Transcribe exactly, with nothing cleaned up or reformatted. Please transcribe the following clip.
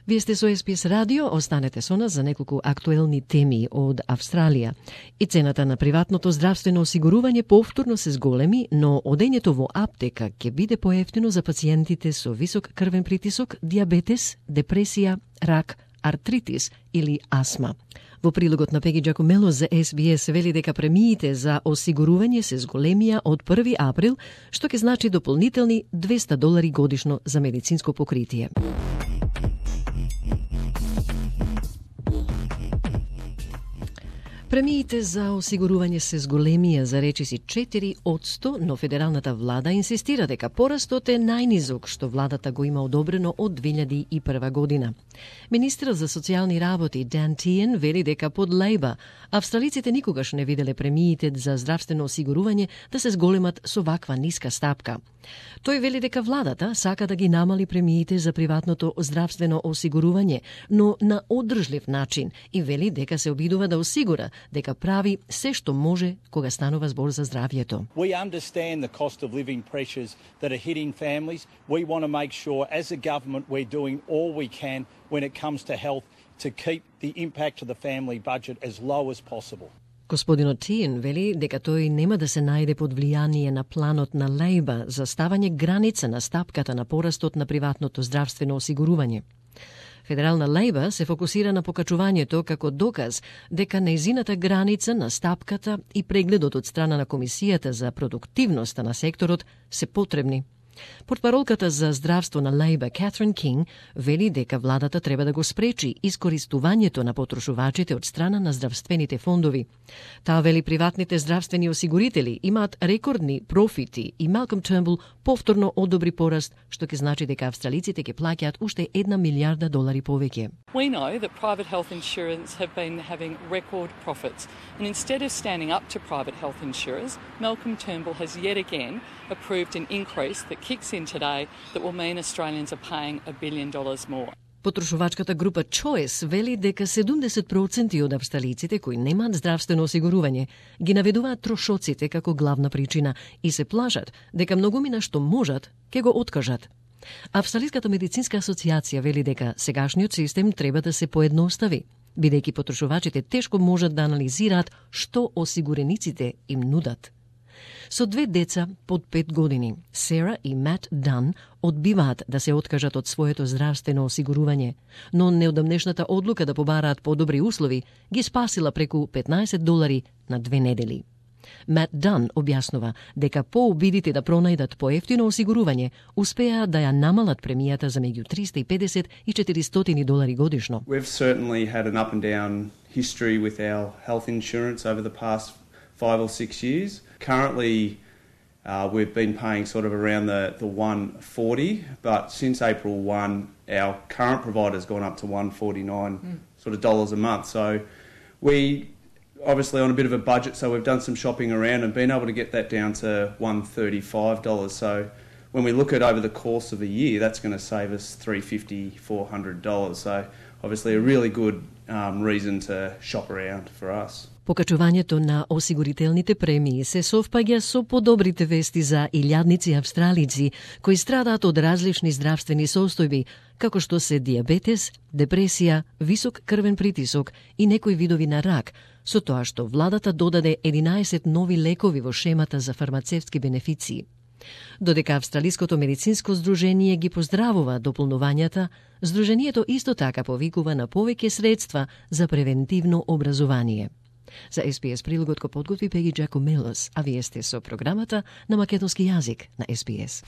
Вие сте со Ес Би Ес Радио, останете со нас за неколку актуелни теми од Австралија. И цената на приватното здравствено осигурување повторно се зголеми, но одењето во аптека ќе биде поевтино за пациентите со висок крвен притисок, диабетес, депресија, рак, артритис или астма. Во прилогот на Пеги Джакомело за Ес Би Ес вели дека премиите за осигурување се зголемија од први април, што ќе значи дополнителни двеста долари годишно за медицинско покритие. Премиите за осигурување се зголемија за речиси четири одсто, но федералната влада инсистира дека порастот е најнизок што владата го има одобрено од две илјади и прва година. Министерот за социјални работи Дан Тиен вели дека под Лейба австралиците никогаш не виделе премиите за здравствено осигурување да се зголемат со ваква ниска стапка. Тој вели дека владата сака да ги намали премиите за приватното здравствено осигурување, но на одржлив начин, и вели дека се обидува да осигура дека прави се што може кога станува збор за здравјето. We understand the cost of living pressures that are hitting families. We want to make sure as a government we're doing all we can when it comes to health to keep the impact to the family budget as low as possible. Господинот Тиен вели дека тој нема да се најде под влијание на планот на Лейба за ставање граница на стапката на порастот на приватното здравствено осигурување. Федерална Лейба се фокусира на покачувањето како доказ дека нејзината граница на стапката и прегледот од страна на Комисијата за продуктивноста на секторот се потребни. Портпаролката за здравство на Лейба Катрин Кинг вели дека владата треба да го спречи искористувањето на потрошувачите од страна на здравствените фондови. Таа вели приватните здравствени осигурители имаат рекордни профити и Малком Тернбул повторно одобри пораст, што ќе значи дека австралиците ќе плаќаат уште една милијарда долари повеќе. We know that private health insurance have been having record profits, and instead of standing up to private health insurers, Malcolm Turnbull has yet again approved an increase that kicks in today that will mean Australians are paying a billion dollars more. Потрошувачката група Choice вели дека седумдесет проценти од австралиците кои немаат здравствено осигурување ги наведуваат трошоците како главна причина и се плашат дека многумина што можат ќе го откажат. Австралиската медицинска асоциација вели дека сегашниот систем треба да се поедностави, бидејќи потрошувачите тешко можат да анализираат што осигурениците им нудат. Со две деца под пет години, Сера и Мат Дан одбиваат да се откажат од своето здравствено осигурување, но неодамнешната одлука да побараат подобри услови ги спасила преку петнаесет долари на две недели. Мат Дан објаснува дека по обидите да пронајдат поевтино осигурување, успеа да ја намалат премијата за меѓу триста и педесет и четиристотини долари годишно. We've certainly had an up and down history with our health insurance over the past five or six years. Currently, uh, we've been paying sort of around the, the one forty, but since April first, our current provider's gone up to one forty-nine mm. sort of dollars a month. So we obviously on a bit of a budget, so we've done some shopping around and been able to get that down to one thirty-five dollars. So when we look at over the course of a year, that's going to save us three fifty, four hundred dollars. So obviously a really good um, reason to shop around for us. Покачувањето на осигурителните премии се совпаѓа со подобрите вести за илјадници австралици кои страдаат од различни здравствени состојби, како што се диабетес, депресија, висок крвен притисок и некои видови на рак, со тоа што владата додаде единаесет нови лекови во шемата за фармацевтски бенефиции. Додека Австралиското медицинско здружение ги поздравува дополнувањата, здружението исто така повикува на повеќе средства за превентивно образование. За Ес Би Ес прилогот го подготви Пеги Джакомелос, а вие сте со програмата на македонски јазик на Ес Би Ес.